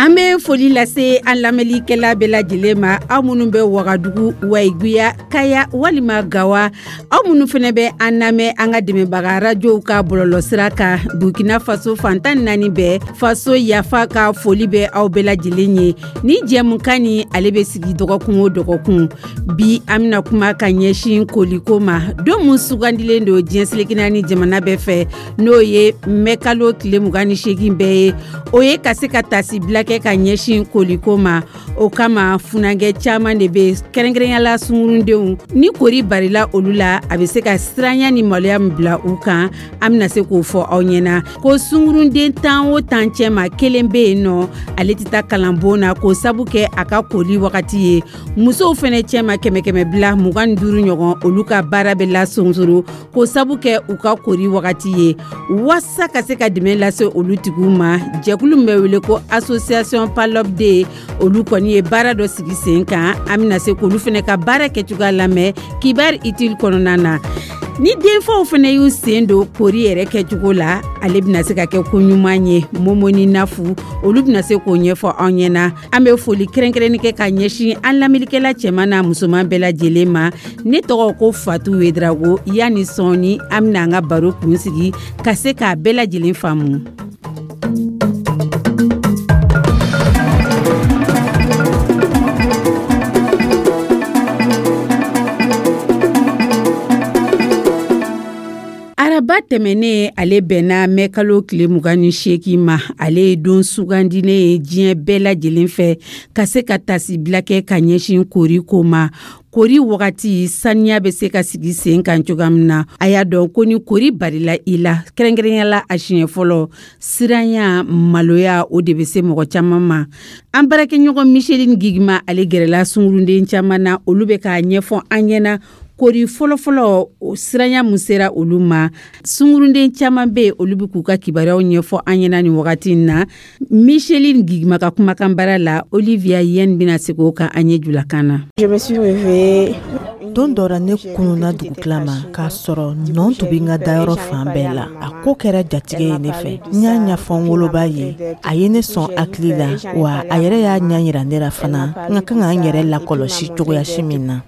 An bɛ foli lase an lamɛnlikɛla bɛɛ lajɛlen ma, aw minnu bɛ Wagadugu, Wayiguya, Kaya walima Gawa, aw minnu fana bɛ an lamɛn an ka dɛmɛbaga radios ka bɔlɔlɔsira kan Burkina Faso fan 14 bɛɛ, faso yafa ka foli bɛ aw bɛɛ lajɛlen ye. Ni jɛmukan ni ale bɛ sigi dɔgɔkun o dɔgɔkun, bi an bɛna kuma ka ɲɛsin koliko ma, don min sugandilen don diɲɛ seleke naani jamana bɛɛ fɛ, n'o ye mɛkalo tile 28 bɛɛ ye, o ye ka se ka tasibila kɛ ka ɲɛsin koliko ma. O kama funankɛ caman de bɛ, kɛrɛnkɛrɛnya la sungurundenw, ni kori barila olu la, a bɛ se ka siranya ni maloya min bila u kan, an bɛna se k'o fɔ aw ɲɛna. Ko sungurunden 10 o 10 cɛma, kelen bɛ yen nɔ, ale tɛ taa kalanbon na k'o sabu kɛ a ka koli wagati ye. Musow fana cɛma, kɛmɛ kɛmɛ bila 25 ɲɔgɔn, olu ka baara bɛ lasonsoro k'o sabu kɛ u ka kori wagati ye. Waasa ka se ka dɛmɛ lase olu tigiw ma, jɛkulu min bɛ wele ko association PALOP-D, olu kɔni ye baara dɔ sigi sen kan. An bɛna se k'olu fana ka baara kɛcogoya lamɛn kibaru utile kɔnɔna na. Ni denfaw fana y'u sen don kori yɛrɛ kɛcogo la, ale bɛna se ka kɛ ko ɲuman ye. Momo ni Nafu, olu bɛna se k'o ɲɛfɔ anw ɲɛna. An bɛ foli kɛrɛnkɛrɛnni kɛ ka ɲɛsin an lamɛnnikɛla cɛman n'a musoman bɛɛ lajɛlen ma. Ne tɔgɔ ko Fatu Wedrago. Yanni sɔɔni, an bɛna an ka baro kun sigi ka se k'a bɛɛ lajɛlen faamu. Araba tɛmɛnen, ale bɛnna mɛkalo tile 28 ma. Ale ye don sugandilen ye diɲɛ bɛɛ lajɛlen fɛ ka se ka tasibila kɛ ka ɲɛsin kori ko ma. Kori wagati saniya bɛ se ka sigi sen kan cogoya min na. A y'a dɔn ko ni kori barila i la, kɛrɛnkɛrɛnya la a siɲɛ fɔlɔ, siranya, maloya, o de bɛ se mɔgɔ caman ma. An baarakɛɲɔgɔn Micheline Gigima, ale gɛrɛla sungurunden caman na, olu bɛ k'a ɲɛfɔ an ɲɛna kori fɔlɔfɔlɔ, o siranya mun sera olu ma. Sungurunden caman bɛ yen, olu bɛ k'u ka kibaruyaw ɲɛfɔ an ɲɛna nin wagati in na. Micheline Gigima ka kumakan baara la, Olivia Yen bɛna segin o kan an ye julakan na. Je me suis réveillée. Don dɔ la, ne kununa dugutila ma k'a sɔrɔ nɔn tun bɛ n ka dayɔrɔ fan bɛɛ la. A ko kɛra jatigɛ ye ne fɛ. N y'a ɲɛfɔ n woloba ye, a ye ne sɔn hakili la, wa a yɛrɛ y'a ɲɛ yira ne la fana n ka kan ka n yɛrɛ lakɔlɔsi cogoyasi min na.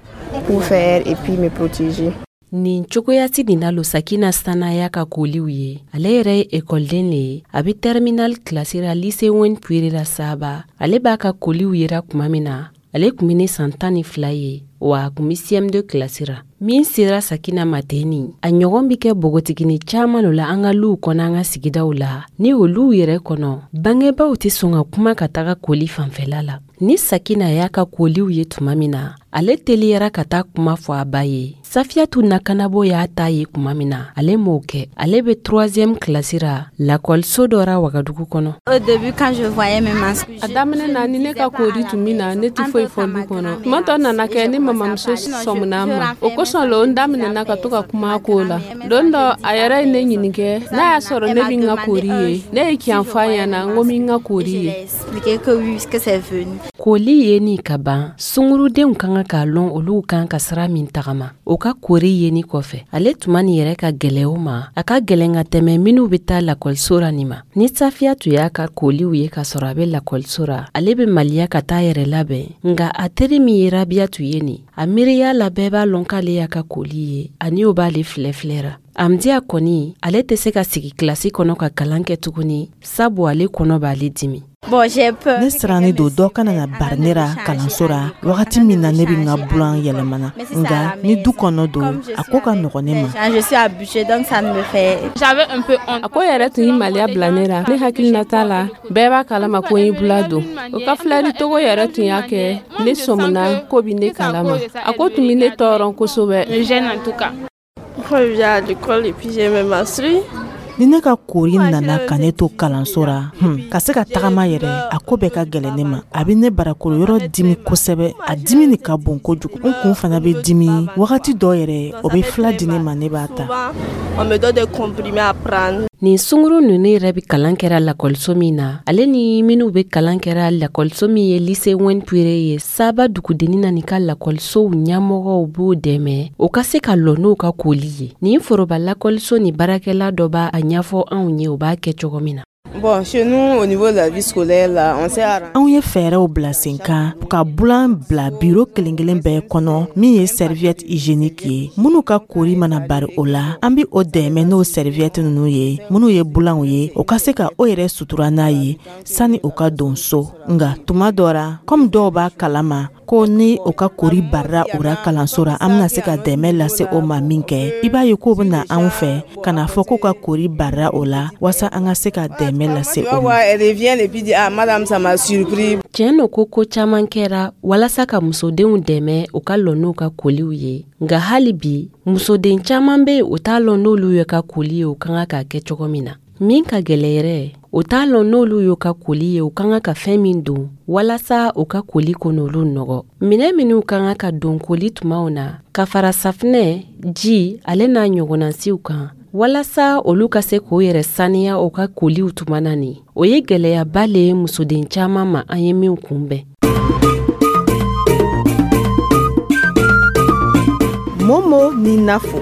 Pour faire et puis me protéger. Nin cogoyasi nin na lo Sakina Sanaya ka koliw ye. Ale yɛrɛ ye ekɔliden le ye, a be terminal kilasi ra lycée Wen Puire la Saba. Ale b'a ka koliw yera kuma min na, ale kun be ne san 12 ye, wa a kun be CM2 kilasi ra. Min sera Sakina ma ten, a ɲɔgɔn be kɛ bogotigini caaman lo la an ka luw kɔnɔ, an ka sigidaw la. Ni olu yɛrɛ kɔnɔ, bangebaw tɛ sɔn ka kuma ka taga koli fanfɛla la. Ni Sakina y'a ka koliw ye tuma min na, ale teliyara ka taa kuma fɔ a ba ye. Safiyatu Nakanabo y'a ta ye tuma min na, ale m'o kɛ. Ale be 3 kilasi ra lakɔliso dɔ ra Wagadugu kɔnɔ. A daminɛ na, ni ne ka kori tun min na, ne tɛ foyi fɔ du kɔnɔ. Tuma dɔ nana kɛ, ne mamamuso sɔmina ma, o kosɔn lo n daminɛna ka to ka kuma ko la. Don dɔ, a yɛrɛ ye ne ɲininka n'a y'a sɔrɔ ne bɛ n ka kori ye. Ne ye tiɲɛ fɔ a ɲɛna, n ko n bɛ n ka kori ye. Koli ye ni ka ban, sungurudenw ka kan k'a lɔn olu kan ka sira min tagama o ka kori yeni kɔfɛ. Ale tuma nin yɛrɛ ka gwɛlɛ o ma, a ka gwɛlɛn ka tɛmɛ minw be taa lakɔliso ra nin ma. Ni Safiyatu y'a ka koliw ye k'a sɔrɔ a be lakɔliso ra, ale be maliya ka taa yɛrɛ labɛn. Nga a teri min ye Rabiyatu ye nin, a miiriya la bɛɛ b'a lɔn k'ale y'a ka koli ye, ani o b'ale filɛ filɛra. Amdiya kɔni, ale tɛ se ka sigi kilasi kɔnɔ ka kalan kɛ tuguni, sabu ale kɔnɔ b'ale dimi. Ne sirannen don dɔ kana na bari ne ra kalanso ra wagati min na ne bɛ n ka bulan yɛlɛmana. Nka ni du kɔnɔ don, a ko ka nɔgɔn ne ma. A ko yɛrɛ tun ye maliya bila ne la. Ne hakilinata la, bɛɛ b'a kalama ko n ye bula don. O ka filɛli togo yɛrɛ tun y'a kɛ ne sɔmina ko bi ne kalama. A ko tun bɛ ne tɔɔrɔ kosɛbɛ. Ni ne ka kori nana ka ne to kalanso ra, ka se ka tagama yɛrɛ, a ko bɛɛ ka gɛlɛn ne ma. A bɛ ne barakolo yɔrɔ dimi kosɛbɛ, a dimi nin ka bon kojugu. N kun fana bɛ dimi wagati dɔ yɛrɛ, o bɛ fila di ne ma, ne b'a ta. Nin sunguru nunu yɛrɛ bɛ kalan kɛra lakɔliso min na, ale ni minnu bɛ kalan kɛra lakɔliso min ye lycée Wɛn Pure ye, Saba dugudennin na, nin ka lakɔlisow ɲɛmɔgɔw b'o dɛmɛ o ka se ka lɔ n'u ka koli ye. Nin foroba lakɔliso ni baarakɛla dɔ b'a ɲɛfɔ anw ye, o b'a kɛ cogo min na. Bon, chez nous, au niveau de la vie scolaire, là, on s'est arrangé. Anw ye fɛɛrɛw bila sen kan ka bulan bila biro kelen kelen bɛɛ kɔnɔ min ye serviette hygiénique ye. Minnu ka kori mana bari o la, an bi o dɛmɛ n'o serviette ninnu ye, minnu ye bulanw ye, o ka se ka o yɛrɛ sutura n'a ye sani o ka don so. Nga tuma dɔ ra, komi dɔw b'a kalama ko ni o ka kori barira u ra kalanso ra, an bena se ka dɛmɛ lase o ma min kɛ, i b'a ye k'o bena anw fɛ ka na fɔ k'u ka kori barira o la waasa an ka se ka dɛmɛ lase Tu o vas ma. voir, elle revient et puis dit, ah, madame, ça m'a surpris. Tiɲɛ no ko ko caaman kɛra walasa ka musodenw dɛmɛ u ka lɔ n'u ka koliw ye, nga hali bi musoden caaman be o t'a lɔn n'olu ye ka koli ye, o ka kan k'a kɛ cogo min na. Min ka gwɛlɛ yɛrɛ, o t'a lɔn n'olu y'u ka koli ye, u ka kan ka fɛn min don walasa u ka koli kon'olu nɔgɔ. Minɛ minw ka kan ka don koli tumaw na, ka fara safinɛ, ji, ale n'a ɲɔgɔnnasiw kan, walasa olu ka se k'o yɛrɛ saniya u ka koliw tuma na, nin o ye gwɛlɛyaba le ye musoden caaman ma, an ye min kunbɛn. Momo ni Nafo.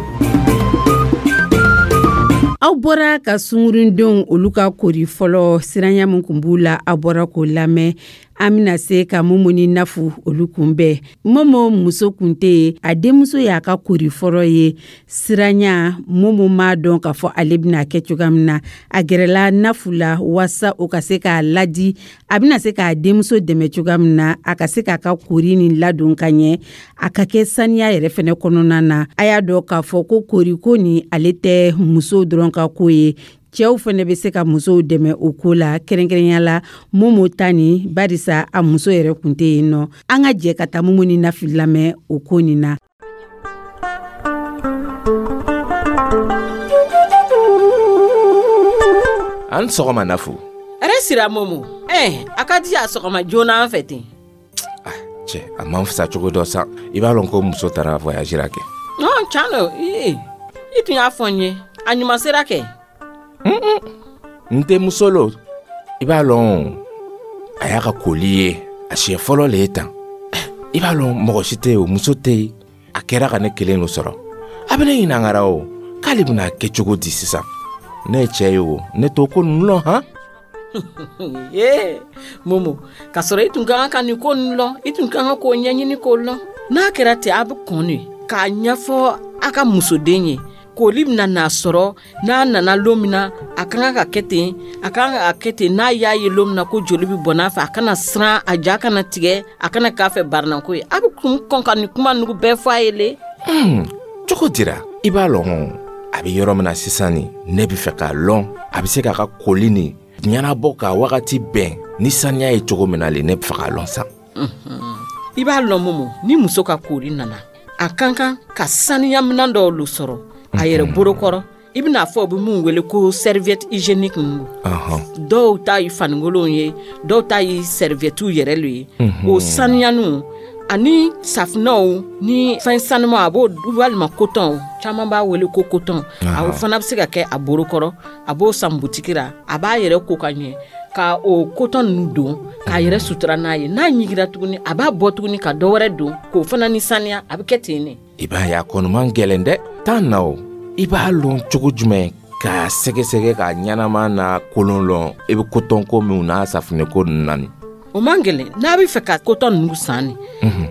Aw bɔra ka sungurundenw olu ka kori fɔlɔ, siranya min kun b'u la, aw bɔra k'o lamɛn. An bɛna se ka Momo ni Nafu olu kunbɛn. Momo muso kun tɛ yen, a denmuso y'a ka kori fɔlɔ ye. Siranya, Momo m'a dɔn k'a fɔ ale bɛna kɛ cogoya min na. A gɛrɛla Nafu la waasa o ka se k'a ladi, a bɛna se k'a denmuso dɛmɛ cogoya min na, a ka se k'a ka kori nin ladon ka ɲɛ, a ka kɛ saniya yɛrɛ fɛnɛ kɔnɔna na. A y'a dɔn k'a fɔ ko koriko nin, ale tɛ musow dɔrɔn ka ko ye, cɛw fɛnɛ bɛ se ka musow dɛmɛ o ko la, kɛrɛnkɛrɛnya la Momo ta nin, barisa a muso yɛrɛ kun tɛ yen nɔ. An ka jɛ ka taa Momo ni Nafi lamɛn o ko nin na. An sɔgɔma, Nafu. Ɛrɛ sira, Momo. Ɛ, a ka di a sɔgɔma joona an fɛ ten. Cɛ, a man fisa cogo dɔ sa. I b'a lɔn ko muso taara voyage ra kɛ. Ɔn, can lo. I tun y'a fɔ n ye, a ɲuman sera kɛ. N denmuso lo, i b'a lɔn, a y'a ka koli ye a siɲɛ fɔlɔ le ye tan. I b'a lɔn, mɔgɔ si tɛ yen, o muso tɛ yen, a kɛra ka ne kelen lo sɔrɔ. A bɛ ne ɲininkara o k'ale bɛna kɛ cogo di sisan. Ne ye cɛ ye o, ne t'o ko ninnu lɔn han. Ee Momo, k'a sɔrɔ i tun ka kan ka nin ko ninnu lɔn, i tun ka kan k'o ɲɛɲini k'o lɔn. N'a kɛra ten, a bɛ kɔn de k'a ɲɛfɔ a ka musoden ye koli bɛna n'a sɔrɔ n'a nana lon min na, a ka kan ka kɛ ten, a ka kan ka kɛ ten. N'a y'a ye lon min na ko joli bɛ bɔn n'a fɛ, a kana siran, a ja kana tigɛ, a kana k'a fɛ barinako ye. A bɛ kun kɔn ka nin kuma ninnu bɛɛ fɔ a ye le. Cogo dira, i b'a lɔn, a bɛ yɔrɔ min na sisan nin, ne bɛ fɛ k'a lɔn a bɛ se k'a ka koli nin ɲɛnabɔ ka wagati bɛn ni saniya ye cogo min na le, ne bɛ fɛ k'a lɔn sa. I b'a lɔn Momo, ni muso ka kori nana, a ka kan ka saniyaminɛn dɔw lo sɔrɔ a yɛrɛ bolokɔrɔ. I bɛna fɔ u bɛ mun wele ko serviette hygiénique ninnu. Dɔw ta ye fanikolonw ye, dɔw ta ye serviettew yɛrɛ lo ye. O saniyaniw ani safinɛw ni fɛn sanuman, a b'o walima coton, caman b'a wele ko coton, a fana bɛ se ka kɛ a bolokɔrɔ. A b'o san butiki la, a b'a yɛrɛ ko ka ɲɛ ka o coton ninnu don k'a yɛrɛ sutura n'a ye. N'a ɲigira tuguni, a b'a bɔ tuguni ka dɔ wɛrɛ don k'o fana ni saniya. A bɛ kɛ ten de. I b'a ye, a kɔni man gɛlɛn dɛ. Taa na o, i b'a lɔn cogo jumɛn k'a sɛgɛsɛgɛ k'a ɲɛnama n'a kolon lɔn, i bɛ coton ko minw n'a safunɛ ko ninnu na nin? O man gɛlɛn. N'a bɛ fɛ ka coton ninnu san nin,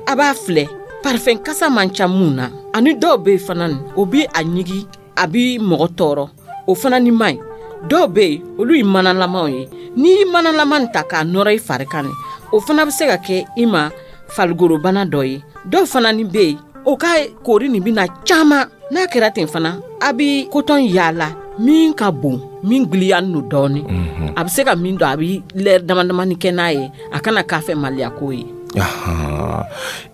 a b'a filɛ parfum kasa man ca mun na. Ani dɔw bɛ yen fana nin, o bɛ a ɲigi, a bɛ mɔgɔ tɔɔrɔ, o fana ni man ɲi. Dɔw bɛ yen, olu ye manalamaw ye. N'i ye manalama nin ta k'a nɔrɔ i fari kan nin, o fana bɛ se ka kɛ i ma farigolobana dɔ ye. Dɔw fana ni bɛ yen, o ka kori nin bɛna caman. N'a kɛra ten fana, a bɛ coton yaala min ka bon, min giliya no dɔɔni, a bɛ se ka min don, a bɛ lɛri dama damani kɛ n'a ye, a kana k'a fɛ maliyako ye.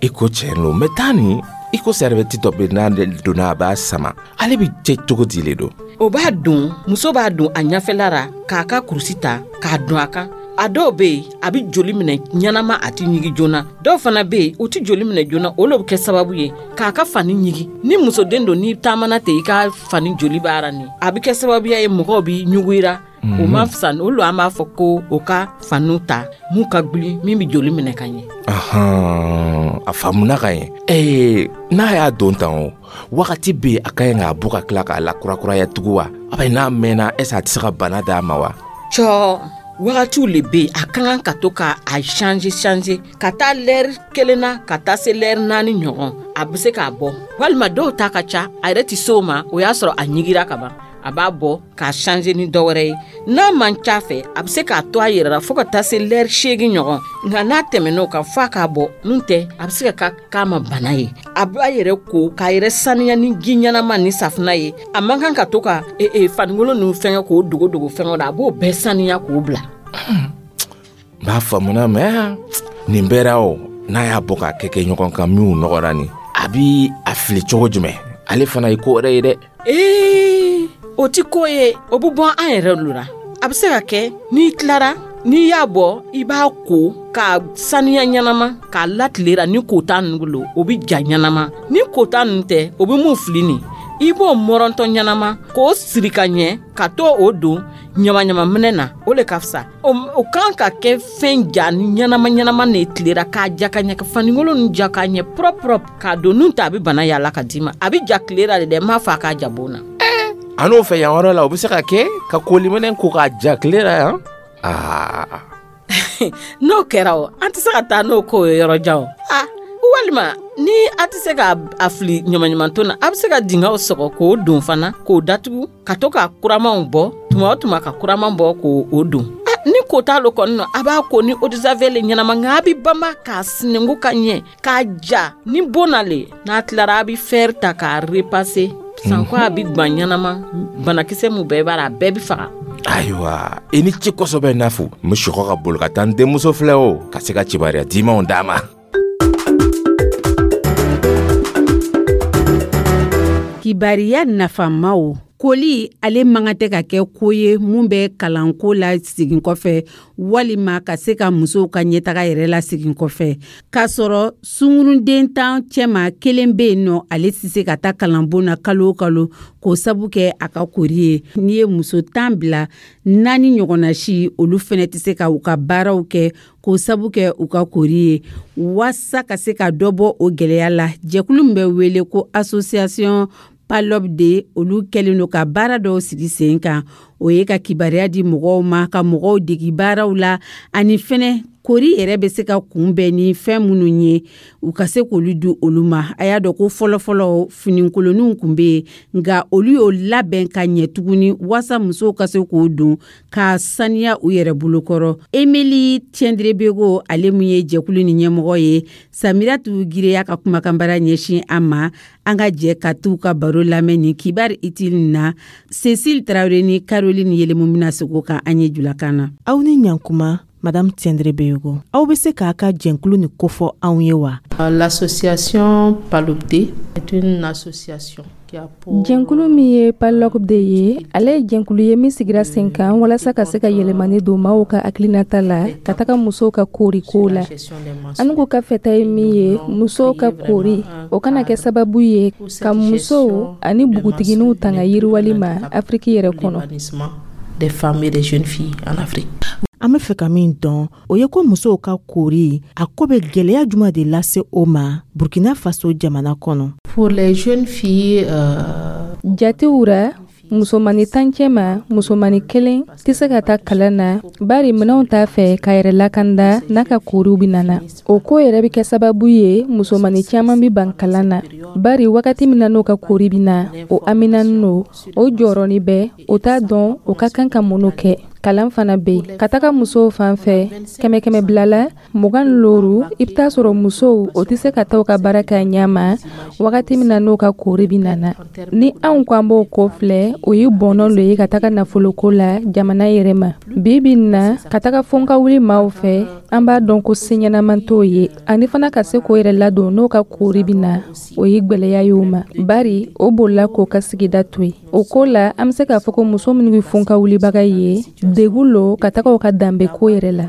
I ko tiɲɛ lo, mɛ taa nin, i ko serviette dɔ bɛ, n'a donna a b'a sama, ale bɛ cɛ cogo di le don? O b'a don, muso b'a don a ɲɛfɛla la k'a ka kurusi ta k'a don a kan. A dɔw bɛ yen, a bɛ joli minɛ ɲɛnama, a tɛ ɲigi joona. Dɔw fana bɛ yen, u tɛ joli minɛ joona, o de bɛ kɛ sababu ye k'a ka fani ɲigi. Ni musoden don, n'i taamana ten, i ka fani joli b'a ni, a bɛ kɛ sababuya ye mɔgɔw bɛ ɲugu. O ma fisa. Olu, an b'a fɔ ko o ka faniw ta mun ka gbili, min bɛ joli minɛ ka ɲɛ. A faamuna ka ɲɛ. Ee, n'a y'a don tan, o wagati bɛ yen, a ka ɲi k'a bɔ ka tila k'a lakurakuraya tugun wa? A bɛ n'a mɛnna, est ce a tɛ se ka bana d'a ma wa? Cɔ, wagatiw le bɛ yen, a ka kan ka to ka a changer changer, ka taa lɛri 1 na ka taa se lɛri 4 ɲɔgɔn, a bɛ se k'a bɔ. Walima dɔw ta ka ca, a yɛrɛ tɛ se o ma, o y'a sɔrɔ a ɲigira ka ban, a b'a bɔ k'a changer ni dɔ wɛrɛ ye. N'a man ca fɛ, a bɛ se k'a to a yɛrɛ la fo ka taa se lɛri 8 ɲɔgɔn. Nka n'a tɛmɛn'o kan, f'a k'a bɔ, n'o tɛ a bɛ se ka k'a ma bana ye. A b'a yɛrɛ ko k'a yɛrɛ saniya ni ji ɲɛnama ni safunɛ ye. A man kan ka to ka fanikolon ninnu fɛngɛ k'o dogo dogo fɛngɛ la, a b'o bɛɛ saniya k'o bila. N b'a faamuna, mɛ nin bɛɛ ra, o n'a y'a bɔ k'a kɛ kɛ ɲɔgɔn kan, minnu nɔgɔra nin, a bi a fili cogo jumɛn? Ale fana ye ko wɛrɛ ye dɛ. Ee, o ti ko ye, o bɛ bɔ an yɛrɛ lo la. A bɛ se ka kɛ n'i tilara, n'i y'a bɔ, i b'a ko k'a saniya ɲɛnama k'a latilera. Ni kota ninnu lo, o bɛ ja ɲɛnama. Ni kota ninnu tɛ, o bɛ mun fili nin, i b'o mɔrɔntɔ ɲɛnama k'o siri ka ɲɛ ka to o don ɲamaɲama minɛ na, o le ka fisa. O kan ka kɛ fɛn ja ni ɲɛnama ɲɛnama ne tilera k'a ja ka ɲɛ, ka fanikolon ninnu ja k'a ɲɛ propre propre k'a don. Nun ta, a bɛ bana yaala ka d'i ma. A bɛ ja tilera de dɛ, n m'a fɔ a k'a ja bon na. An n'o fɛ yan yɔrɔ la, o bɛ se ka kɛ ka koliminɛ ko k'a ja tile la yan? Aa, n'o kɛra, o an tɛ se ka taa n'o ko ye yɔrɔ jan o. A walima ni a tɛ se ka a fili ɲamaɲamanton na, a bɛ se ka dingɛw sɔgɔ k'o don fana, k'o datugu, ka to ka kuramanw bɔ tuma o tuma, ka kuraman bɔ k'o o don. Ni ko t'a lo kɔni nɔ, a b'a ko ni eau de javel ɲɛnama, nka a bɛ banba k'a sinɛnku ka ɲɛ k'a ja ni bon na le. N'a tilara, a bɛ fer ta k'a repasser sanko, a bɛ gan ɲɛnama, banakisɛ mun bɛɛ b'a la, a bɛɛ bɛ faga. Ayiwa, i ni ce kosɛbɛ. N'a fo n bɛ sɔgɔ ka boli ka taa n denmuso filɛ, o ka se ka kibaruya dimanw d'a ma. Kibariya nafamaw. Koli, ale man kan tɛ ka kɛ ko ye mun bɛ kalanko la segin kɔfɛ, walima ka se ka musow ka ɲɛtaga yɛrɛ la segin kɔfɛ, k'a sɔrɔ sungurunden 10 cɛma, kelen bɛ yen nɔ, ale tɛ se ka taa kalanbon na kalo o kalo k'o sabu kɛ a ka kori ye. N'i ye muso 10 bila, naani ɲɔgɔnna si, olu fɛnɛ tɛ se ka u ka baaraw kɛ k'o sabu kɛ u ka kori ye. Waasa ka se ka dɔ bɔ o gɛlɛya la, jɛkulu min bɛ wele ko Association PALOP-D, olu kɛlen don ka baara dɔw sigi sen kan. O ye ka kibaruya di mɔgɔw ma, ka mɔgɔw degi baaraw la, ani fɛnɛ kori yɛrɛ bɛ se ka kunbɛn ni fɛn minnu ye, u ka se k'olu di olu ma. A y'a dɔn ko fɔlɔfɔlɔ finikoloniw tun bɛ yen, nka olu y'o labɛn ka ɲɛ tuguni waasa musow ka se k'o don ka saniya u yɛrɛ bolokɔrɔ. Emily Tiendrebego, ale mun ye jɛkulu ni ɲɛmɔgɔ ye, Samiratu Gireya ka kumakanbara ɲɛsin an ma. An ka jɛ ka t'u ka baro lamɛn ni kibaru itili na. Cécile Traoré ni Caroline Yelemu bɛna segin o kan an ye julakan na. Aw ni ɲankuma, Madame Tiendrebego. Aw bɛ se k'a ka jɛnkulu ni kofɔ anw ye wa? L'association PALOP-D est une association. Jɛnkulu min ye PALOP-D ye, ale ye jɛnkulu ye min sigira sen kan walasa ka se ka yɛlɛmani don maaw ka hakilinata la ka taga musow ka koori ko la. An k'u ka fɛta ye min ye, musow ka koori, o kana kɛ sababu ye ka musow ani npogotigininw tanga yiriwali ma Afiriki yɛrɛ kɔnɔ. Des femmes et des jeunes filles en Afrique. An bɛ fɛ ka min dɔn, o ye ko musow ka koori, a ko bɛ gɛlɛya jumɛn de lase o ma Burkina Faso jamana kɔnɔ? Pour les jeunes filles, Jatew ra, musomani 10 cɛma, musomani kelen tɛ se ka taa kalan na, bari minɛnw t'a fɛ k'a yɛrɛ lakanda n'a ka kooriw bɛ nana. O ko yɛrɛ bɛ kɛ sababu ye musomani caman bɛ ban kalan na, bari wagati min na n'o ka koori bɛ na, o haminanin don, o jɔrɔnin bɛ, o t'a dɔn o ka kan ka mun kɛ. Kalan fana bɛ yen. Ka taga musow fan fɛ, kɛmɛ kɛmɛ bila la 25, i bɛ taa sɔrɔ musow, o tɛ se ka taa u ka baara kɛ a ɲɛ ma wagati min na n'o ka koori bɛ nana. Ni anw ko an b'o ko filɛ, o ye bɔnɔ lo ye ka taga nafoloko la jamana yɛrɛ ma. Bi bi in na, ka taga fo ka wuli maaw fɛ, an b'a dɔn ko se ɲɛnama t'o ye, ani fana ka se k'o yɛrɛ ladon n'o ka koori bɛ na, o ye gwɛlɛya ye o ma, bari o bolila k'o ka sigida to yen. O ko la, an bɛ se k'a fɔ ko muso minnu bɛ fo ka wulibaga ye, Degun lo ka taga o ka danbe ko yɛrɛ la.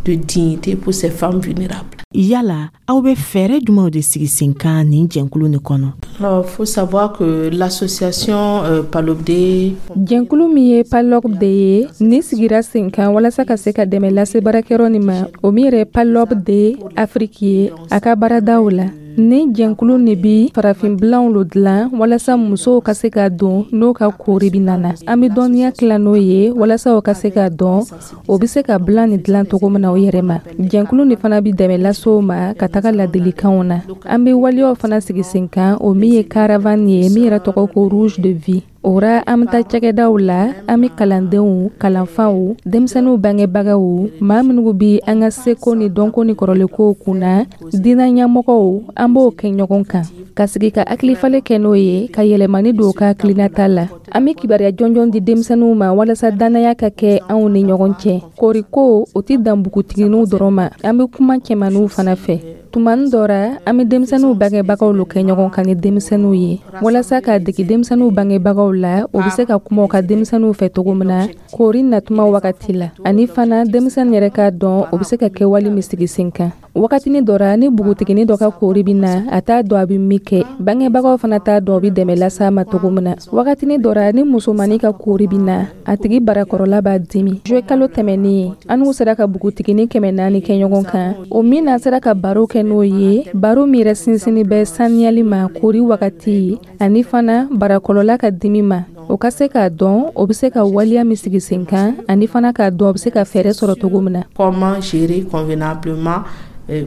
De dignité pour ces femmes vulnérables. Yala aw bɛ fɛɛrɛ jumɛnw de sigi sen kan nin jɛnkulu nin kɔnɔ? Alors, faut savoir que l'association Palopde. Jɛnkulu min ye Palopde ye, ni sigira sen kan walasa ka se ka dɛmɛ lase baarakɛyɔrɔ nin ma, o min yɛrɛ Palopde Afrique ye a ka baaradaw la. Ni jɛnkulu nin bi farafinbilanw lo dilan walasa musow ka se ka don n'o ka koori bi nana. An be dɔnniya tila n'o ye walasa o ka se ka dɔn o be se ka bilan nin dilan cogo min na o yɛrɛ ma. Jɛnkulu nin fana bi dɛmɛ lase o ma ka taga ladilikanw na. An be waleyaw fana sigi sen kan, o min ye caravane ye, min yɛrɛ tɔgɔ ko Rouge de Vie. O ra, an bɛ taa cakɛdaw la, an bɛ kalandenw, kalanfaw, denmisɛnninw bangebagaw, maa minnu bi an ka seko ni dɔnko ni kɔrɔlenkow kunna, diinɛ ɲɛmɔgɔw, an b'o kɛ ɲɔgɔn kan ka sigi ka hakilifalen kɛ n'o ye, ka yɛlɛmani don u ka hakilinata la. An bɛ kibaruya jɔnjɔn di denmisɛnninw ma walasa dannaya ka kɛ anw ni ɲɔgɔn cɛ. Koriko o tɛ dan npogotigininw dɔrɔn ma, an bɛ kuma cɛmanninw fana fɛ. Tumani dɔ ra, an bɛ denmisɛnninw bangebagaw lo kɛ ɲɔgɔn kan ni denmisɛnninw ye walasa k'a dege denmisɛnninw bangebagaw la, o bɛ se ka kuma u ka denmisɛnninw fɛ cogo min na koori natuma wagati la, ani fana denmisɛnnin yɛrɛ k'a dɔn o bɛ se ka kɛwale min sigi sen kan. Wagatinin dɔ ra, ni npogotiginin dɔ ka koori bɛ na, a t'a dɔn a bɛ min kɛ, bangebagaw fana t'a dɔn o bɛ dɛmɛ lase a ma cogo min na. Wagatinin dɔ ra, ni musomannin ka koori bɛ na, a tigi barakɔrɔla b'a dimi. Juillet kalo tɛmɛnen, an n'u sera ka npogotiginin 400 kɛ ɲɔgɔn kan, o min na sera ka baro kɛ n'o ye, baro min yɛrɛ sinsinni bɛ saniyali ma koori wagati, ani fana barakɔrɔla ka dimi ma, o ka se k'a dɔn o bɛ se ka waleya min sigi sen kan, ani fana k'a dɔn o bɛ se ka fɛɛrɛ sɔrɔ cogo min na. Comment gérer convenablement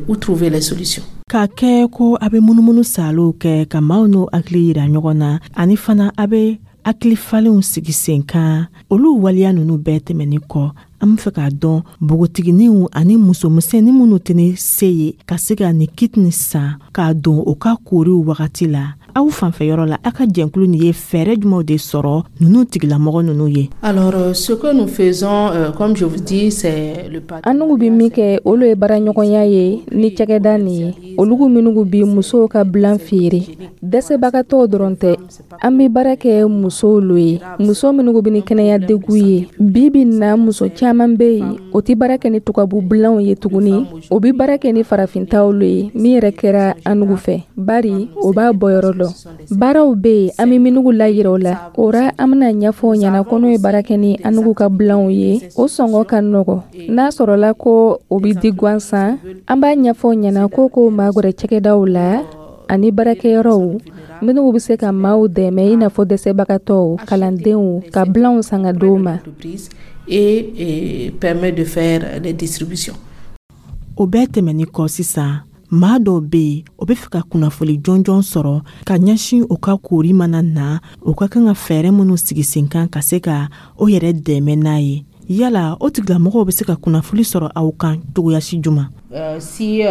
ou trouver les solutions. K'a kɛ ko a bɛ munumunu salow kɛ ka maaw n'o hakili yira ɲɔgɔn na, ani fana a bɛ hakili falenw sigi sen kan, olu waleya ninnu bɛɛ tɛmɛnin kɔ, an bɛ fɛ k'a dɔn npogotigininw ani musomisɛnnin minnu tɛ ni se ye ka se ka nin kit nin san k'a don u ka kooriw wagati la, aw fanfɛ yɔrɔ la, aw ka jɛnkulu nin ye fɛɛrɛ jumɛnw de sɔrɔ ninnu tigilamɔgɔ ninnu ye? Alors, ce que nous faisons, comme je vous dis, c'est le An n'u bɛ min kɛ, olu ye baaraɲɔgɔnya ye ni cakɛda nin ye, olugu minnu bi musow ka bilan feere. Dɛsɛbagatɔw dɔrɔn tɛ, an bɛ baara kɛ musow lo ye, muso minnu bɛ ni kɛnɛya degun ye. Bi bi in na, muso caman bɛ yen, o tɛ baara kɛ ni tubabu bilanw ye tuguni, o bɛ baara kɛ ni farafintaw lo ye, min yɛrɛ kɛra an nugu fɛ, bari o b'a bɔyɔrɔ dɔn. Baaraw bɛ yen, an bɛ minnu layira o la. O ra, an bɛna ɲɛfɔ o ɲɛna ko n'o ye baara kɛ ni an nugu ka bilanw ye, o sɔngɔ ka nɔgɔ. N'a sɔrɔla ko o bɛ di gansan, an b'a ɲɛfɔ o ɲɛna ko k'o magɛrɛ cakɛdaw la ani baarakɛyɔrɔw minnu bɛ se ka maaw dɛmɛ, i n'a fɔ dɛsɛbagatɔw, kalandenw, ka bilanw san ka d'o ma. Et permet de faire des distributions. O bɛɛ tɛmɛnin kɔ sisan, maa dɔw bɛ yen, o bɛ fɛ ka kunnafoni jɔnjɔn sɔrɔ ka ɲɛsin u ka koori mana na, u ka kan ka fɛɛrɛ minnu sigi sen kan ka se ka o yɛrɛ dɛmɛ n'a ye. Yala o tigilamɔgɔw bɛ se ka kunnafoni sɔrɔ aw kan cogoya si juma? Si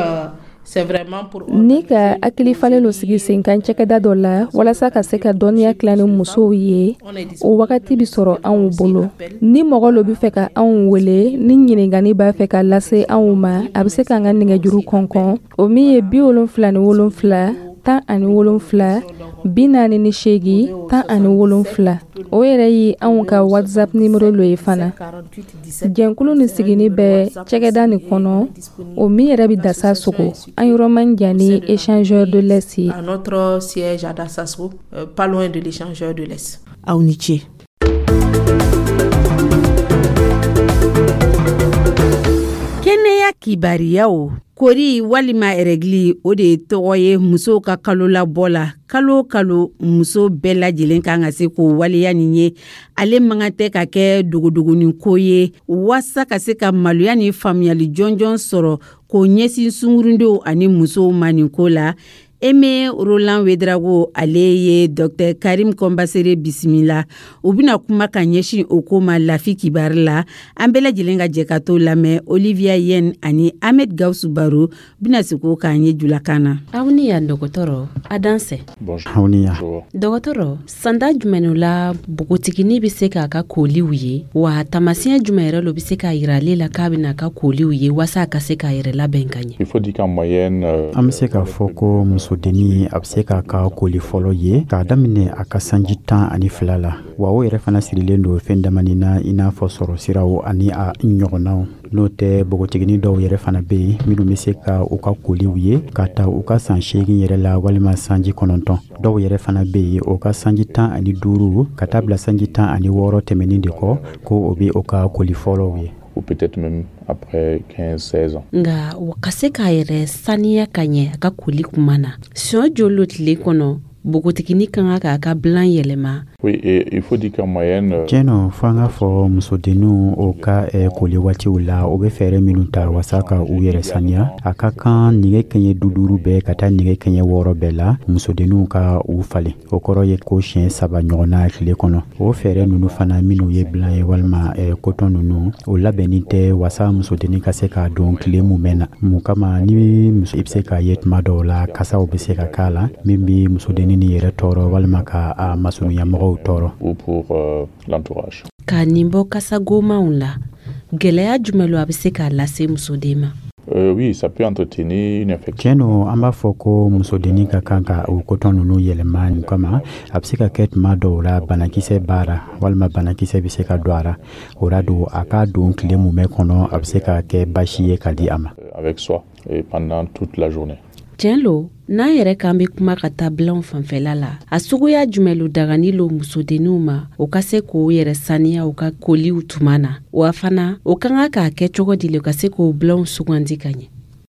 c'est vraiment pour Ni ka hakili falen lo sigi sen kan cakɛda dɔ la walasa ka se ka dɔnniya tila ni musow ye, o wagati bi sɔrɔ anw bolo. Ni mɔgɔ lo bɛ fɛ ka anw wele ni ɲininkani b'a fɛ ka lase anw ma, a bɛ se k'an ka nɛgɛjuru kɔnkɔn, o min ye 77 17 48 17. O yɛrɛ ye anw ka WhatsApp numéro lo ye fana. Jɛnkulu ni sigini bɛ cakɛda nin kɔnɔ, o min yɛrɛ bɛ Dasasogo, an yɔrɔ man jan ni échangeur de l'Est ye. À notre siège à Dassasogo, pas loin de l'échangeur de l'Est. Aw ni ce. Kɛnɛya kibariyaw. Kori walima règle, o de ye tɔgɔ ye musow ka kalo labɔ la. Kalo o kalo, muso bɛɛ lajɛlen kan ka se k'o waleya nin ye. Ale man kan tɛ ka kɛ dogodogonin ko ye. Waasa ka se ka maloya ni faamuyali jɔnjɔn sɔrɔ k'o ɲɛsin sungurundenw ani musow ma nin ko la, Aimé Roland Ouédraogo, ale ye Dr Karim Kɔnbasere bisimila. U bɛna kuma ka ɲɛsin o ko ma Lafi Kibari la. An bɛɛ lajɛlen ka jɛ ka t'o lamɛn. Olivia Yen ani Ahmed Gawusu Baro bɛna sigi o k'an ye julakan na. Aw ni yan dɔgɔtɔrɔ, a dansɛ. Aw ni yan. Dɔgɔtɔrɔ, sanda jumɛn la npogotiginin bɛ se k'a ka koliw ye, wa taamasiyɛn jumɛn yɛrɛ lo bɛ se k'a yira ale la k'a bɛna a ka koliw ye, waasa a ka se k'a yɛrɛ labɛn ka ɲɛ? An bɛ se k'a fɔ ko muso Musodennin, a bɛ se k'a ka koli fɔlɔ ye k'a daminɛ a ka sanji 12 la. Wa o yɛrɛ fana sirilen don fɛn damani na, i n'a fɔ sɔrɔ siraw ani a ɲɔgɔnnaw. N'o tɛ, npogotiginin dɔw yɛrɛ fana bɛ yen minnu bɛ se ka u ka koliw ye ka ta u ka san 8 yɛrɛ la walima sanji 9. Dɔw yɛrɛ fana bɛ yen, o ka sanji 15 ka taa bila sanji 16 tɛmɛnin de kɔ, ko o bɛ o ka koli fɔlɔw ye. Ou peut-être même après 15, 16 ans. Nka o ka se k'a yɛrɛ saniya ka ɲɛ a ka koli kuma na, siɲɛ joli lo tile kɔnɔ npogotiginin ka kan k'a ka bilan yɛlɛma? Oui, et il faut dire qu'en moyenne. Tiɲɛ nɔ, fo an k'a fɔ, musodenninw, o ka koli waatiw la, o bɛ fɛɛrɛ minnu ta wasa ka u yɛrɛ saniya, a ka kan nɛgɛ kɛɲɛ 50 bɛɛ ka taa nɛgɛ kɛɲɛ 6 bɛɛ la, musodenninw ka u falen. O kɔrɔ ye ko siɲɛ saba ɲɔgɔnna tile kɔnɔ. O fɛɛrɛ ninnu fana, minnu ye bilan ye walima coton ninnu, o labɛnni tɛ wasa musodennin ka se k'a don tile mumɛ na. Mun kama? Ni muso, i bɛ se k'a ye tuma dɔw la, kasaw bɛ se ka k'a la min bɛ musodennin ni yɛrɛ tɔɔrɔ walima ka a masurunyamɔgɔw tɔɔrɔ. Ou pour l'entourage. Ka nin bɔ kasagomanw la, gwɛlɛya jumɛn lo a bɛ se k'a lase musoden ma? Oui, ça peut entretenir une infection. Tiɲɛ don, an b'a fɔ ko musodennin ka kan ka o coton ninnu yɛlɛma. Nin kama, a bɛ se ka kɛ tuma dɔw la, banakisɛ b'a ra walima banakisɛ bɛ se ka don a ra. O ra don, a k'a don tile mumɛ kɔnɔ, a bɛ se ka kɛ basi ye ka di a ma. Avec soi et pendant toute la journée. Tiɲɛ lo, n'an yɛrɛ k'an be kuma ka taa bilanw fanfɛla la, a suguya jumɛn lo dagani lo musodenninw ma, o ka se k'o yɛrɛ saniya u ka koliw tuma na? Wa fana, o ka kan k'a kɛ cogo di le ka se k'o bilanw sugandi ka ɲɛ?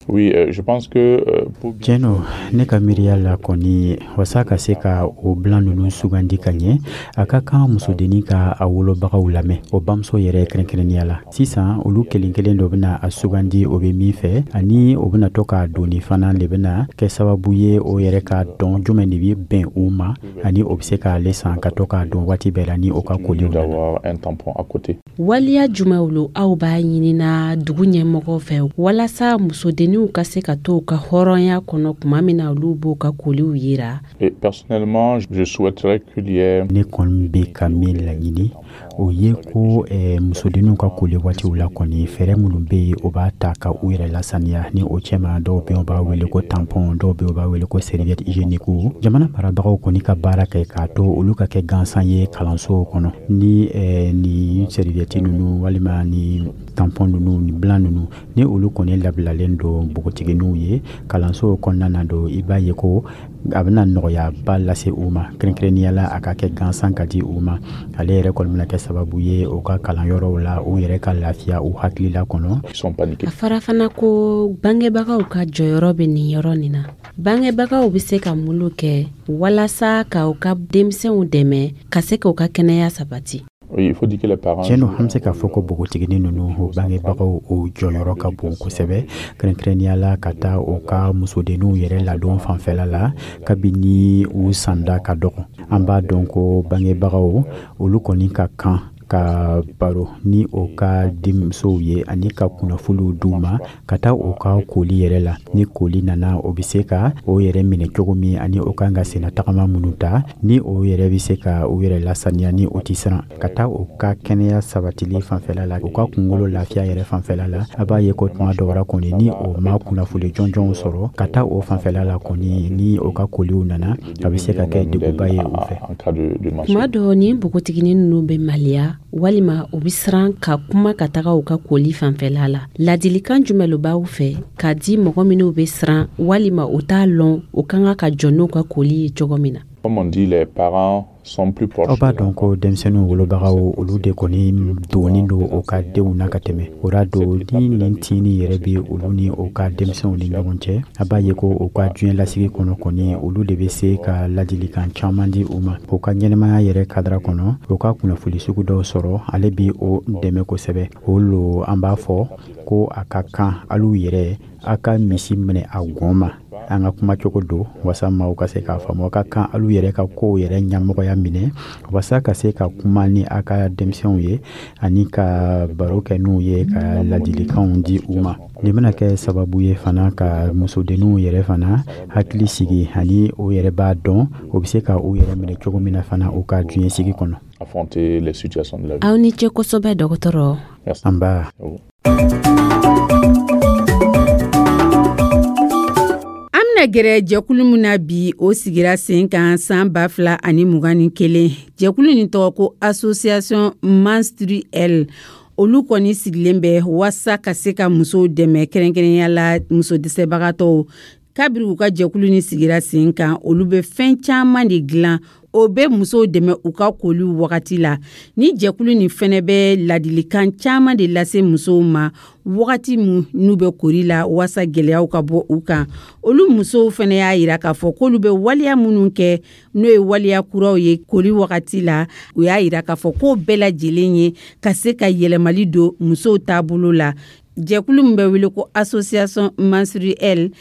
Oui, je pense que pour bien. Tiɲɛ don, ne ka miiriya la kɔni, wasa ka se ka o bilan ninnu sugandi ka ɲɛ, a ka kan musodennin ka a wolobagaw lamɛn, o bamuso yɛrɛ kɛrɛnkɛrɛnnenya la. Sisan, olu kelen kelen dɔ bɛna a sugandi o bɛ min fɛ, ani o bɛna to k'a doni fana de bɛna kɛ sababu ye o yɛrɛ ka dɔn jumɛn de bɛ bɛn u ma, ani o bɛ se k'ale san ka to k'a don waati bɛɛ la ni o ka koliw nana. D'avoir un tampon à côté. Waliya jumɛnw lo aw b'a ɲinina dugu ɲɛmɔgɔw fɛ walasa musodenninw ka se ka to u ka hɔrɔnya kɔnɔ tuma min na olu b'u ka koliw yira? Et personnellement, je souhaiterais qu'il y ait. Ne kɔni bɛ ka min laɲini, o ye ko musodenninw ka koli waatiw la kɔni, fɛɛrɛ minnu bɛ yen, o b'a ta ka u yɛrɛ lasaniya ni o cɛma. Dɔw bɛ yen, u b'a wele ko tampon, dɔw bɛ yen, u b'a wele ko serviette hygiénique. Jamana marabagaw kɔni ka baara kɛ k'a to olu ka kɛ gansan ye kalansow kɔnɔ, ni ni serviette ninnu walima ni tampon ninnu, ni bilan ninnu, ni olu kɔni labilalen don npogotigininw ye kalansow kɔnɔna na don, i b'a ye ko a bɛna nɔgɔyaba lase u ma, kɛrɛnkɛrɛnnenya la a ka kɛ gansan ka di u ma. Ale yɛrɛ kɔni bɛna kɛ sababu ye u ka kalanyɔrɔw la, u yɛrɛ ka lafiya u hakilila kɔnɔ. Ils sont paniqués. A fɔra fana ko bangebagaw ka jɔyɔrɔ bɛ nin yɔrɔ nin na. Bangebagaw bɛ se ka mun kɛ walasa ka u ka denmisɛnw dɛmɛ ka se k'u ka kɛnɛya sabati? Oui, il faut dire que les parents. Tiɲɛ don, an bɛ se k'a fɔ ko npogotiginin ninnu, o bangebagaw, o jɔyɔrɔ ka bon kosɛbɛ, kɛrɛnkɛrɛnnenya la ka taa u ka musodenninw yɛrɛ ladon fanfɛla la kabini u sanda ka dɔgɔ. An b'a dɔn ko bangebagaw, olu kɔni ka kan ka baro ni o ka denmusow ye ani ka kunnafoniw d'u ma ka taa u ka koli yɛrɛ la. Ni koli nana, o bɛ se ka o yɛrɛ minɛ cogo min, ani o kan ka senna tagama minnu ta, ni o yɛrɛ bɛ se ka u yɛrɛ lasaniya ni o tɛ siran. Ka taa u ka kɛnɛya sabatili fanfɛla la, u ka kunkolo lafiya yɛrɛ fanfɛla la, a b'a ye ko tuma dɔw la kɔni, ni o ma kunnafoni jɔnjɔnw sɔrɔ ka taa o fanfɛla la kɔni, ni o ka koliw nana, a bɛ se ka kɛ degunba ye u fɛ. En cas de menstruation. Tuma dɔ, ni npogotiginin ninnu bɛ maliya walima u bɛ siran ka kuma ka taga u ka koli fanfɛla la, ladilikan jumɛn lo b'aw fɛ k'a di mɔgɔ minnu bɛ siran walima u t'a lɔn u ka kan ka jɔ n'u ka koli ye cogo min na? Comme on dit, les parents sont plus proches. Aw b'a dɔn ko denmisɛnninw wolobagaw, olu de kɔni donnen don u ka denw na ka tɛmɛ. O ra don, ni nin tini yɛrɛ bɛ olu ni u ka denmisɛnw ni ɲɔgɔn cɛ, a b'a ye ko u ka diɲɛ lasigi kɔnɔ kɔni, olu de bɛ se ka ladilikan caman di u ma u ka ɲɛnɛmaya yɛrɛ cadre kɔnɔ. U ka kunnafoni sugu dɔw sɔrɔ, ale bi o dɛmɛ kosɛbɛ. O lo an b'a fɔ ko a ka kan alu yɛrɛ a ka misi minɛ a gɔn ma, an ka kumacogo don wasa maaw ka se k'a faamu. A ka kan alu yɛrɛ ka kow yɛrɛ ɲɛmɔgɔya minɛ wasa ka se ka kuma ni a ka denmisɛnw ye ani ka baro kɛ n'u ye, ka ladilikanw di u ma. Nin bɛna kɛ sababu ye fana ka musodenninw yɛrɛ fana hakili sigi, ani o yɛrɛ b'a dɔn o bɛ se ka u yɛrɛ minɛ cogo min na fana u ka diɲɛ sigi kɔnɔ. Affronter les situations de la vie. Aw ni ce kosɛbɛ, dɔgɔtɔrɔ. Merci. An ba. À vous. An bena Bɛna gɛrɛ jɛkulu min na bi, o sigira sen kan san 2021. Jɛkulu nin tɔgɔ ko Association Menstruelle. Olu kɔni sigilen bɛ waasa ka se ka musow dɛmɛ, kɛrɛnkɛrɛnya la muso dɛsɛbagatɔw. Kabiri u ka jɛkulu ni sigira sen kan, olu bɛ fɛn caman de dilan, o bɛ musow dɛmɛ u ka koliw wagati la. Ni jɛkulu nin fɛnɛ bɛ ladilikan caman de lase musow ma wagati min n'u bɛ kori la, waasa gɛlɛyaw ka bɔ u kan. Olu musow fɛnɛ y'a yira k'a fɔ k'olu bɛ waleya minnu kɛ, n'o ye waleya kuraw ye kori wagati la, u y'a yira k'a fɔ k'o bɛɛ lajɛlen ye ka se ka yɛlɛmali don musow taabolo la. Jɛkulu min bɛ wele ko Association Menstruelle,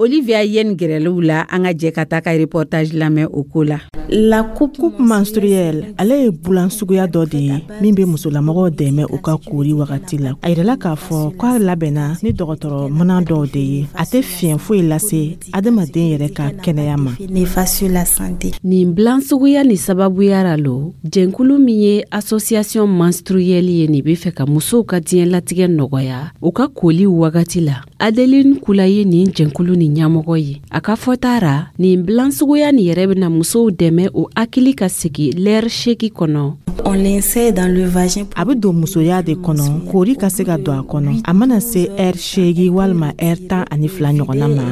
Olivia Yen gɛrɛliw la, an ka jɛ ka taa ka reportage lamɛn o ko la. La coupe menstruelle, ale ye bulan suguya dɔ de ye min bɛ musolamɔgɔw dɛmɛ u ka kori wagati la. A yirala k'a fɔ k'a labɛnna ni dɔgɔtɔrɔ mana dɔw de ye. A tɛ fiɲɛ foyi lase adamaden yɛrɛ ka kɛnɛya ma. Nin bilan suguya ni sababuya ra lo, jɛnkulu min ye Association Menstruelle ye nin bɛ fɛ ka musow ka diɲɛlatigɛ nɔgɔya u ka koli wagati la. Adeline Kula ye nin jɛnkulu ni ɲɛmɔgɔ ye. A ka fɔta ra, nin bilan suguya nin yɛrɛ bɛna musow dɛmɛ o hakili ka sigi lɛri 8 kɔnɔ. A bɛ don musoya de kɔnɔ, kori ka se ka don a kɔnɔ. A mana se ɛri 8 walima ɛri 12 ɲɔgɔnna ma,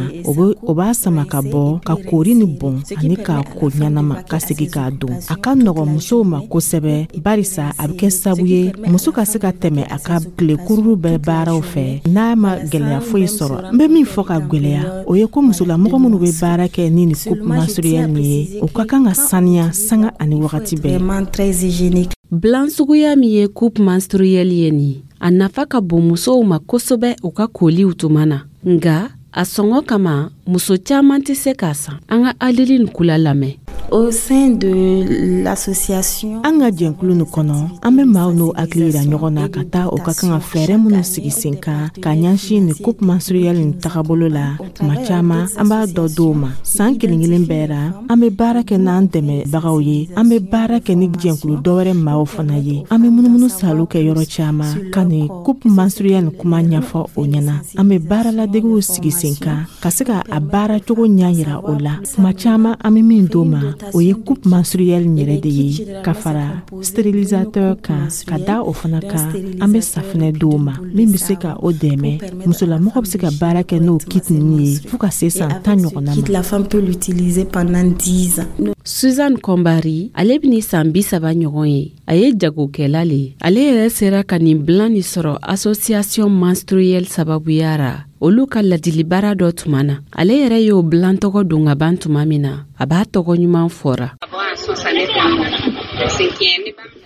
o b'a sama ka bɔ ka kori ni bɔn ani k'a ko ɲɛnama ka segi k'a don. A ka nɔgɔ musow ma kosɛbɛ, barisa a bɛ kɛ sabu ye muso ka se ka tɛmɛ a ka tile kururu bɛɛ baaraw fɛ n'a ma gɛlɛya foyi sɔrɔ. N bɛ min fɔ ka gwɛlɛya, o ye ko musolamɔgɔ minnu bɛ baara kɛ ni nin coupe menstruelle nin ye, o ka kan ka saniya sanga ani wagati bɛɛ. Bilan suguya min ye coupe menstruelle ye nin, a nafa ka bon musow ma kosɛbɛ u ka koliw tuma na, nga a sɔngɔ kama muso caaman tɛ se k'a san. An ka Adeline Kula lamɛn. Au sein de l'association, An ka jɛnkulu nin kɔnɔ, an bɛ maaw n'o hakili yira ɲɔgɔn na ka taa o ka kan ka fɛɛrɛ minnu sigi sen kan ka ɲɛsin nin coupe menstruelle nin tagabolo la. Tuma caman, an b'a dɔ d'o ma san kelen kelen bɛɛ ra. An bɛ baara kɛ n'an dɛmɛbagaw ye, an bɛ baara kɛ ni jɛnkulu dɔwɛrɛ maaw fana ye. An bɛ munumunu salo kɛ yɔrɔ caman ka nin coupe menstruelle nin kuma ɲɛfɔ o ɲɛna. An bɛ baaraladegiw sigi sen kan ka se ka a baara cogo ɲɛ yira o la. Tuma caman, an bɛ min d'o ma, o ye coupe menstruelle yɛrɛ de ye ka fara stérilisateur kan. Ka da o fana kan, an bɛ safinɛ d'o ma min bɛ se ka o dɛmɛ. Musolamɔgɔ bɛ se ka baara kɛ n'o kit ninnu ye fo ka se san 10 ɲɔgɔnna ma. La femme peut l'utiliser pendant 10 ans. Suzanne Kɔnbari, ale bɛ ni san 30 ɲɔgɔn ye. A ye jagokɛla le ye. Ale yɛrɛ sera ka nin bilan nin sɔrɔ Association Menstruelle sababuya ra, olu ka ladilibaara dɔ tuma na. Ale yɛrɛ y'o bilan tɔgɔ don ka ban tuma min na, a b'a tɔgɔ ɲuman fɔra.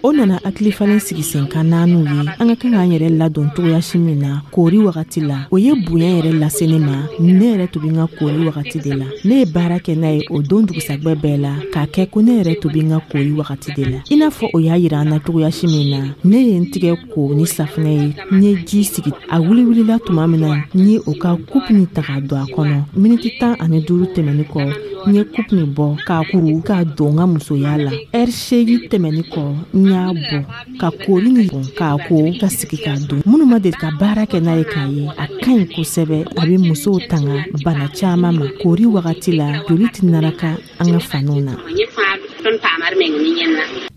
O nana hakili falen sigi sen kan naaniw ye an ka kan k'an yɛrɛ ladon cogoya si min na koori wagati la. O ye bonya yɛrɛ lase ne ma. Ne yɛrɛ tun bɛ n ka koori wagati de la. Ne ye baara kɛ n'a ye o don dugusagwɛ bɛɛ la, k'a kɛ ko ne yɛrɛ tun bɛ n ka koori wagati de la, i n'a fɔ o y'a yira an na cogoya si min na. Ne ye n tigɛ ko ni safinɛ ye, n ye ji sigi. A wuli-wulila tuma min na, n ye o ka coupe nin ta k'a don a kɔnɔ. Miniti 15 tɛmɛni kɔ, n ye coupe nin bɔ k'a kuru k'a don n ka musoya la. Ɛri 8 tɛmɛni kɔ, n y'a bɔ ka koori nin bɔn k'a ko ka sigi k'a don. Minnu ma deli ka baara kɛ n'a ye k'a ye, a ka ɲi kosɛbɛ. A bɛ musow tanga bana caman ma koori wagati la. Joli tɛ naraka an ka faniw na.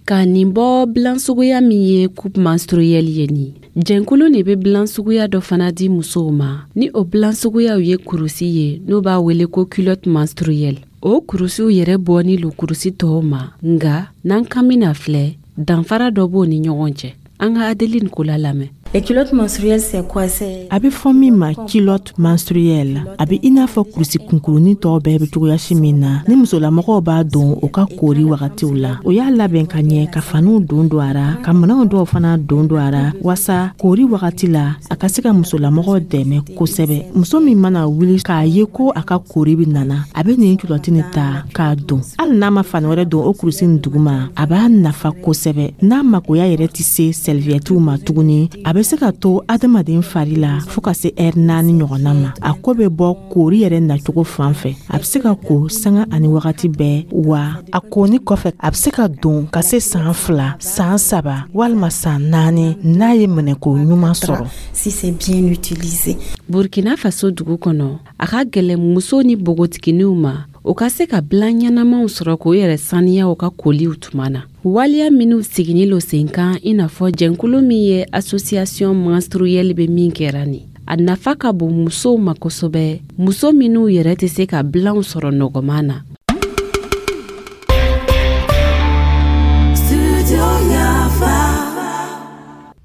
Ka nin bɔ bilan suguya min ye coupe menstruelle ye nin, jɛnkulu de bɛ bilan suguya dɔ fana di musow ma. Ni o bilan suguyaw ye kurusi ye, n'o b'a wele ko culotte menstruelle. O kurusiw yɛrɛ bɔni lo kurusi tɔw ma, nga n'an kan bɛna filɛ, danfara dɔ b'o ni ɲɔgɔn cɛ. An ka Adeline Kola lamɛn. Les culottes menstruelles, c'est quoi? C'est A bɛ fɔ min ma culotte menstruelle, a bɛ i n'a fɔ kurusi kunkurunin tɔw bɛɛ bɛ cogoyasi min na ni musolamɔgɔw b'a don u ka koori wagatiw la. O y'a labɛn ka ɲɛ ka faniw don don a ra, ka minɛnw dɔw fana don don a ra, waasa koori wagati la a ka se ka musolamɔgɔw dɛmɛ kosɛbɛ. Muso min mana wuli k'a ye ko a ka koori bɛ nana, a bɛ nin culotte nin ta k'a don. Hali n'a ma fani wɛrɛ don o kurusi nin duguma, a b'a nafa kosɛbɛ. N'a makoya yɛrɛ tɛ se serviettew ma tuguni, a bɛ bɛ se ka to adamaden fari la fo ka se ɛri 4 ɲɔgɔnna ma. A ko bɛ bɔ koori yɛrɛ nacogo fan fɛ. A bɛ se ka ko sanga ani wagati bɛɛ, wa a koni kɔfɛ a bɛ se ka don ka se san 2, san 3 walima san 4 n'a ye minɛko ɲuman sɔrɔ. Si c'est bien utilisé. Burkina Faso dugu kɔnɔ, a ka gɛlɛn muso ni npogotigininw ma o ka se ka bilan ɲɛnamaw sɔrɔ k'o yɛrɛ saniya u ka koliw tuma na. Waleya minw siginin lo sen kan, i n'a fɔ jɛnkulu min ye association menstruelle bɛ min kɛra nin, a nafa ka bon musow ma kosɛbɛ, muso minw yɛrɛ tɛ se ka bilanw sɔrɔ nɔgɔman na.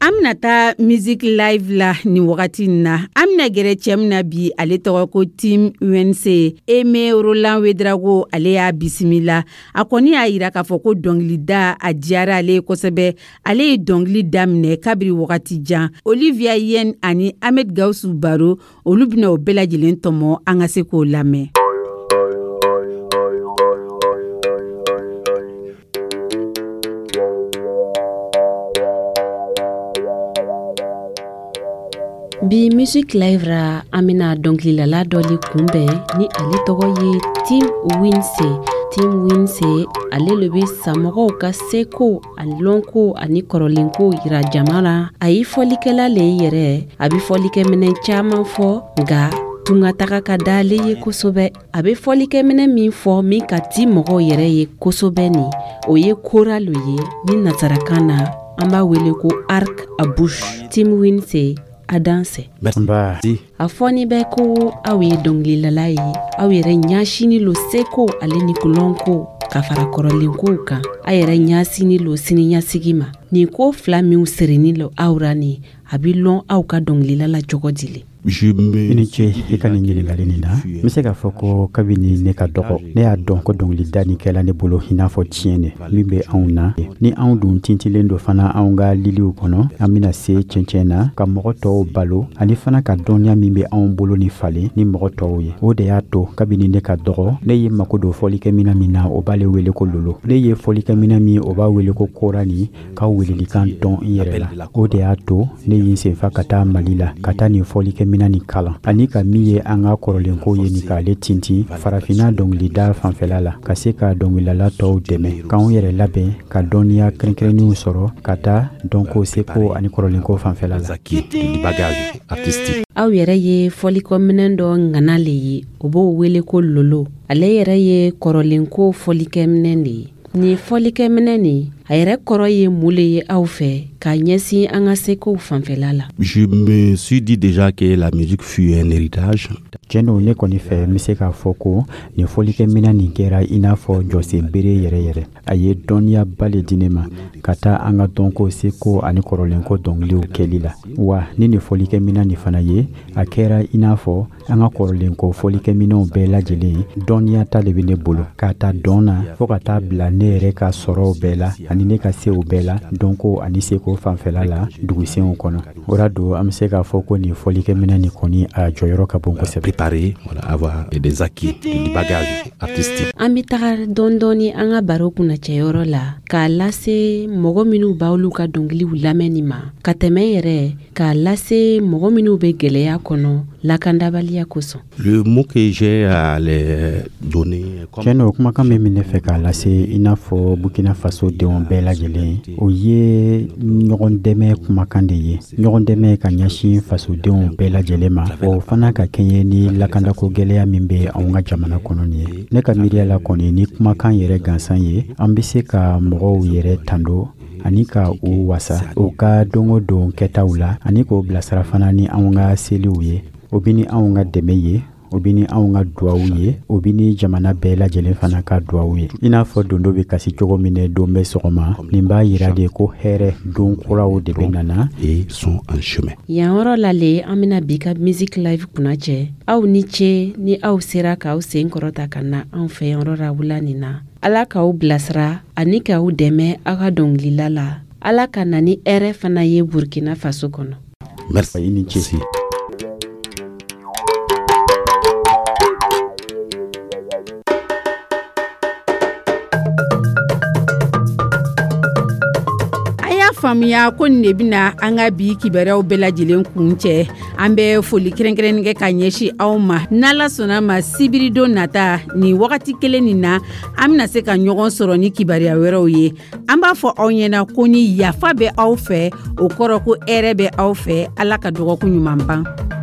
An bɛna taa Musique Live la nin wagati in na. An bɛna gɛrɛ cɛ min na bi, ale tɔgɔ ko Tim Wense. Aimé Roland Ouedraogo, ale y'a bisimila. A kɔni y'a yira k'a fɔ ko dɔnkilida a diyara ale ye kosɛbɛ. Ale ye dɔnkili daminɛ kabiri wagati jan. Olivia Yen ani Ahmed Gawusu Baro, olu bɛna o bɛɛ lajɛlen tɔmɔ, an ka se k'o lamɛn. Bi Musique Live ra, an bɛna dɔnkililala dɔ le kunbɛn ni ale tɔgɔ ye Tim Winse. Tim Winse, ale le bɛ samɔgɔw ka seko ani lɔnko ani kɔrɔlenko yira jama la. A ye fɔlikɛla le ye yɛrɛ, a bɛ fɔlikɛminɛn caman fɔ, nka tungataga ka d'ale ye kosɛbɛ. A bɛ fɔlikɛminɛn min fɔ min ka di mɔgɔw yɛrɛ ye kosɛbɛ nin, o ye kora lo ye ni nasarakan na an b'a wele ko arc à bouche. Tim Winse, a dansɛ. A fɔni bɛ ko aw ye dɔnkililala ye, aw yɛrɛ ɲasini lo seko ale ni lɔnko ka fara kɔrɔlenkow kan. A yɛrɛ ɲasini lo siniɲasigi ma. Nin ko fila minw sirini lo aw ra nin, a bɛ lɔn aw ka dɔnkilila la cogo di le? I ni ce i ka nin ɲininkali nin na. N bɛ se k'a fɔ ko kabini ne ka dɔgɔ, ne y'a dɔn ko dɔnkilida nin kɛla ne bolo i n'a fɔ tiɲɛ de min bɛ anw na. Ni anw dun tintilen don fana anw ka liliw kɔnɔ, an bɛna se cɛncɛn na ka mɔgɔ tɔw balo ani fana ka dɔnniya min bɛ anw bolo ni falen ni mɔgɔ tɔw ye. O de y'a to kabini ne ka dɔgɔ, ne ye mako don fɔlikɛminɛn min na, o b'ale wele ko lolo. Ne ye fɔlikɛminɛn min, o b'a wele ko kora ni ka welelikan dɔn n yɛrɛ la. O de y'a to ne ye n senfa ka taa Mali la ka taa nin fɔlikɛminɛn nin kalan, ani ka min ye an ka kɔrɔlenko ye nin k'ale tintin farafinna dɔnkilida fanfɛla la, ka se ka dɔnkilidala tɔw dɛmɛ k'anw yɛrɛ labɛn ka dɔnniya kɛrɛnkɛrɛnnenw sɔrɔ ka taa dɔnko, seko ani kɔrɔlenko fanfɛla la. Aw yɛrɛ ye fɔlikɔminɛn dɔ ŋana le ye, o b'o wele ko lolo. Ale yɛrɛ ye kɔrɔlenko fɔlikɛminɛn de ye. Nin fɔlikɛminɛn nin, a yɛrɛ kɔrɔ ye mun le ye aw fɛ k'a ɲɛsin an ka sekow fanfɛla la? Je me suis dit déjà que la musique fut un héritage. Tiɲɛ don, ne kɔni fɛ, n bɛ se k'a fɔ ko nin fɔlikɛminɛn nin kɛra i n'a fɔ jɔsen bere yɛrɛ yɛrɛ. A ye dɔnniyaba le di ne ma ka taa an ka dɔnko, seko ani kɔrɔlenko dɔnkiliw kɛli la. Wa ni nin fɔlikɛminɛn nin fana ye, a kɛra i n'a fɔ an ka kɔrɔlenko fɔlikɛminɛnw bɛɛ lajɛlen dɔnniya ta de bɛ ne bolo, k'a ta dɔn na fo ka taa bila ne yɛrɛ ka sɔrɔw bɛɛ la ani ne ka sew bɛɛ la dɔnko ani seko fanfɛla la dugusenw kɔnɔ. O la don, an bɛ se k'a fɔ ko nin fɔlikɛminɛn nin kɔni, a jɔyɔrɔ ka bon kosɛbɛ. Préparer, voilà, avoir des acquis, du bagage artistique. An bɛ taga dɔɔni dɔɔni an ka baro kunnacɛyɔrɔ la k'a lase mɔgɔ minnu b'aw ka dɔnkiliw lamɛnni ma, ka tɛmɛ yɛrɛ k'a lase mɔgɔ minnu bɛ gɛlɛya kɔnɔ lakandabaliya kosɔn. Le mot que j'ai à les donner. Tiɲɛ don, kumakan min bɛ ne fɛ k'a lase i n'a fɔ Burkina Faso denw bɛɛ lajɛlen, o ye ɲɔgɔn dɛmɛ kumakan de ye. Ɲɔgɔn dɛmɛ ka ɲɛsin fasodenw bɛɛ lajɛlen ma, o fana ka kɛɲɛ ni lakandako gɛlɛya min bɛ anw ka jamana kɔnɔ nin ye. Ne ka miiriya la kɔni, ni kumakan yɛrɛ gansan ye, an bɛ se ka mɔgɔw yɛrɛ tando ani ka u wasa u ka don o don kɛtaw la, ani k'o bilasira fana ni anw ka seliw ye, o bɛ ni anw ka dɛmɛ ye, o bɛ ni anw ka duwawu ye, o bɛ ni jamana bɛɛ lajɛlen fana ka duwawu ye. I n'a fɔ dondo bɛ kasi cogo min na don bɛ sɔgɔma, nin b'a yira de ko hɛrɛ don kuraw de bɛ nana. Et sont en chemin. Yan yɔrɔ la le, an bɛna bi ka Musique Live kunnacɛ. Aw ni ce ni aw sera k'aw sen kɔrɔta ka na anw fɛ yan yɔrɔ la wula nin na. Ala k'aw bilasira ani k'aw dɛmɛ aw ka dɔnkilila la. Ala ka na ni hɛrɛ fana ye Burkina Faso kɔnɔ. Merci. I ni ce. Faamuya ko nin de bɛna an ka bi kibaruyaw bɛɛ lajɛlen kun cɛ. An bɛ foli kɛrɛnkɛrɛnnen kɛ ka ɲɛsin aw ma. N'Ala sɔnna ma, sibiridon nata nin wagati kelen nin na, an bɛna se ka ɲɔgɔn sɔrɔ ni kibaruya wɛrɛw ye. An b'a fɔ aw ɲɛna ko ni yafa bɛ aw fɛ, o kɔrɔ ko hɛrɛ bɛ aw fɛ. Ala ka dɔgɔkun ɲuman ban.